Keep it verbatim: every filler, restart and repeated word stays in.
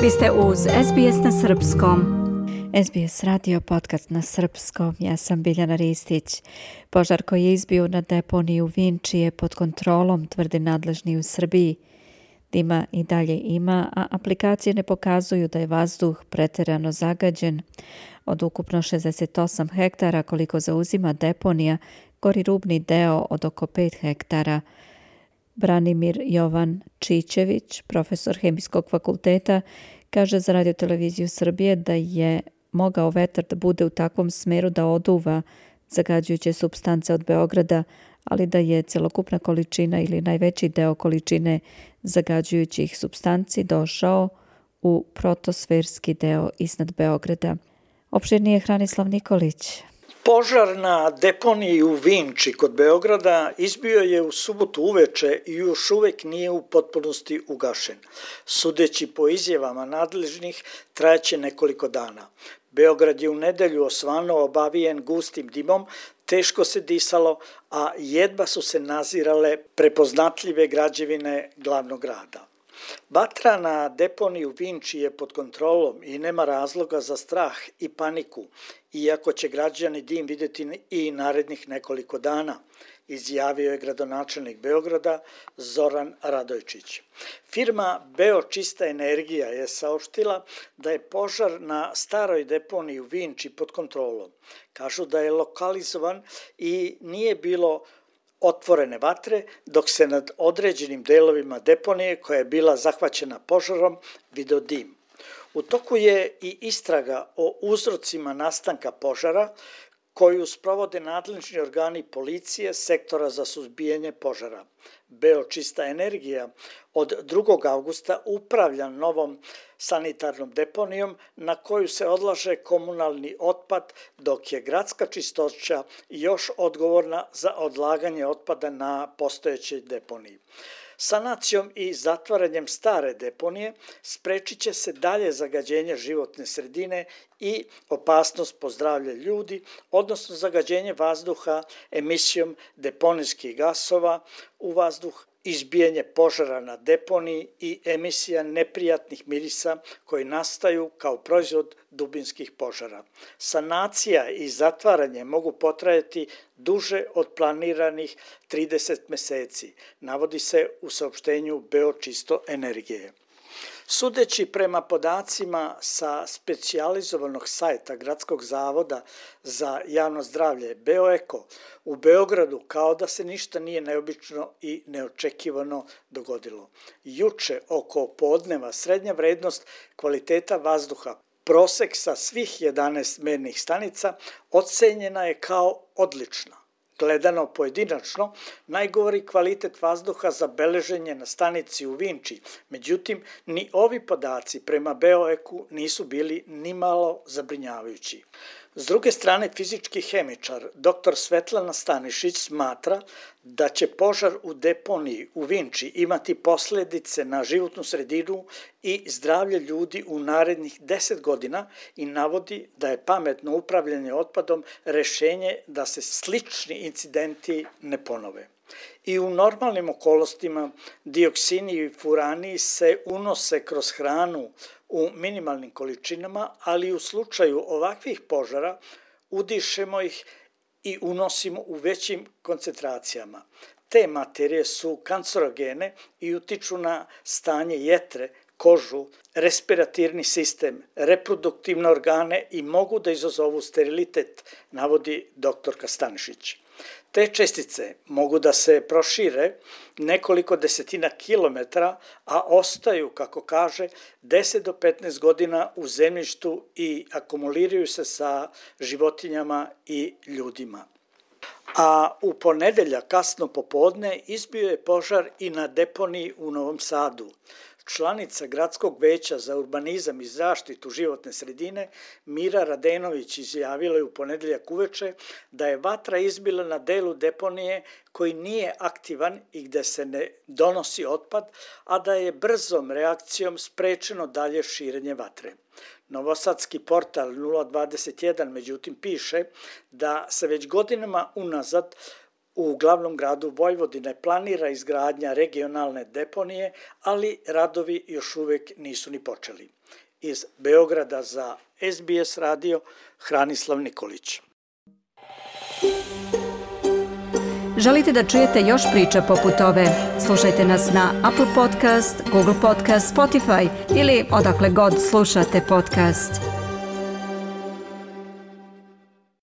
Vi ste uz S B S na srpskom. S B S radio podcast na srpskom. Ja sam Biljana Ristić. Požar koji je izbio na deponiji u Vinči je pod kontrolom, tvrde nadležni u Srbiji. Dima i dalje ima, a aplikacije ne pokazuju da je vazduh preterano zagađen. Od ukupno šezdeset osam hektara koliko zauzima deponija, gori rubni deo od oko pet hektara. Branimir Jovan Čičević, profesor Hemijskog fakulteta, kaže za Radio televiziju Srbije da je mogao vetar da bude u takvom smeru da oduva zagađujuće supstance od Beograda, ali da je celokupna količina ili najveći deo količine zagađujućih supstanci došao u protosferski deo iznad Beograda. Opširnije Hranislav Nikolić. Požar na deponiji u Vinči kod Beograda izbio je u subotu uveče i još uvek nije u potpunosti ugašen. Sudeći po izjavama nadležnih, trajaće nekoliko dana. Beograd je u nedelju osvano obavijen gustim dimom, teško se disalo, a jedva su se nazirale prepoznatljive građevine glavnog grada. Vatra na deponiji u Vinči je pod kontrolom i nema razloga za strah i paniku, iako će građani dim vidjeti i narednih nekoliko dana, izjavio je gradonačelnik Beograda Zoran Radojčić. Firma Beočista energija je saopštila da je požar na staroj deponiji u Vinči pod kontrolom. Kažu da je lokalizovan i nije bilo otvorene vatre, dok se nad određenim delovima deponije koja je bila zahvaćena požarom video dim. U toku je i istraga o uzrocima nastanka požara koju sprovode nadležni organi policije sektora za suzbijanje požara. Beočista energija od drugog avgusta upravlja novom sanitarnom deponijom na koju se odlaže komunalni otpad, dok je gradska čistoća još odgovorna za odlaganje otpada na postojećoj deponiji. Sanacijom i zatvaranjem stare deponije sprečit će se dalje zagađenje životne sredine i opasnost po zdravlje ljudi, odnosno zagađenje vazduha emisijom deponijskih gasova u vazduh, izbijanje požara na deponiji i emisija neprijatnih mirisa koji nastaju kao proizvod dubinskih požara. Sanacija i zatvaranje mogu potrajati duže od planiranih trideset meseci, navodi se u saopštenju Beočisto energije. Sudeći prema podacima sa specijalizovanog sajta Gradskog zavoda za javno zdravlje Beoeko, u Beogradu kao da se ništa nije neobično i neočekivano dogodilo. Juče oko podneva srednja vrednost kvaliteta vazduha, prosek sa svih jedanaest mernih stanica, ocenjena je kao odlična. Gledano pojedinačno, najgori kvalitet vazduha zabeležen je na stanici u Vinči, međutim, ni ovi podaci prema Beoeku nisu bili nimalo zabrinjavajući. S druge strane, fizički hemičar dr Svetlana Stanišić smatra da će požar u deponiji u Vinči imati posljedice na životnu sredinu i zdravlje ljudi u narednih deset godina i navodi da je pametno upravljanje otpadom rešenje da se slični incidenti ne ponove. I u normalnim okolnostima dioksini i furani se unose kroz hranu u minimalnim količinama, ali u slučaju ovakvih požara udišemo ih i unosimo u većim koncentracijama. Te materije su kancerogene i utiču na stanje jetre, kožu, respiratirni sistem, reproduktivne organe i mogu da izazovu sterilitet, navodi doktorka Stanišić. Te čestice mogu da se prošire nekoliko desetina kilometara, a ostaju, kako kaže, deset do petnaest godina u zemljištu i akumuliraju se sa životinjama i ljudima. A u ponedeljak kasno popodne izbio je požar i na deponiji u Novom Sadu. Članica Gradskog veća za urbanizam i zaštitu životne sredine Mira Radenović izjavila je u ponedeljak uveče da je vatra izbila na delu deponije koji nije aktivan i gde se ne donosi otpad, a da je brzom reakcijom sprečeno dalje širenje vatre. Novosadski portal nula dvadeset jedan međutim piše da se već godinama unazad U glavnom gradu Vojvodine planira izgradnja regionalne deponije, ali radovi još uvijek nisu ni počeli. Iz Beograda za S B S radio, Hranislav Nikolić. Želite da čujete još priča poput ove? Slušajte nas na Apple Podcast, Google Podcast, Spotify ili odakle god slušate podcast.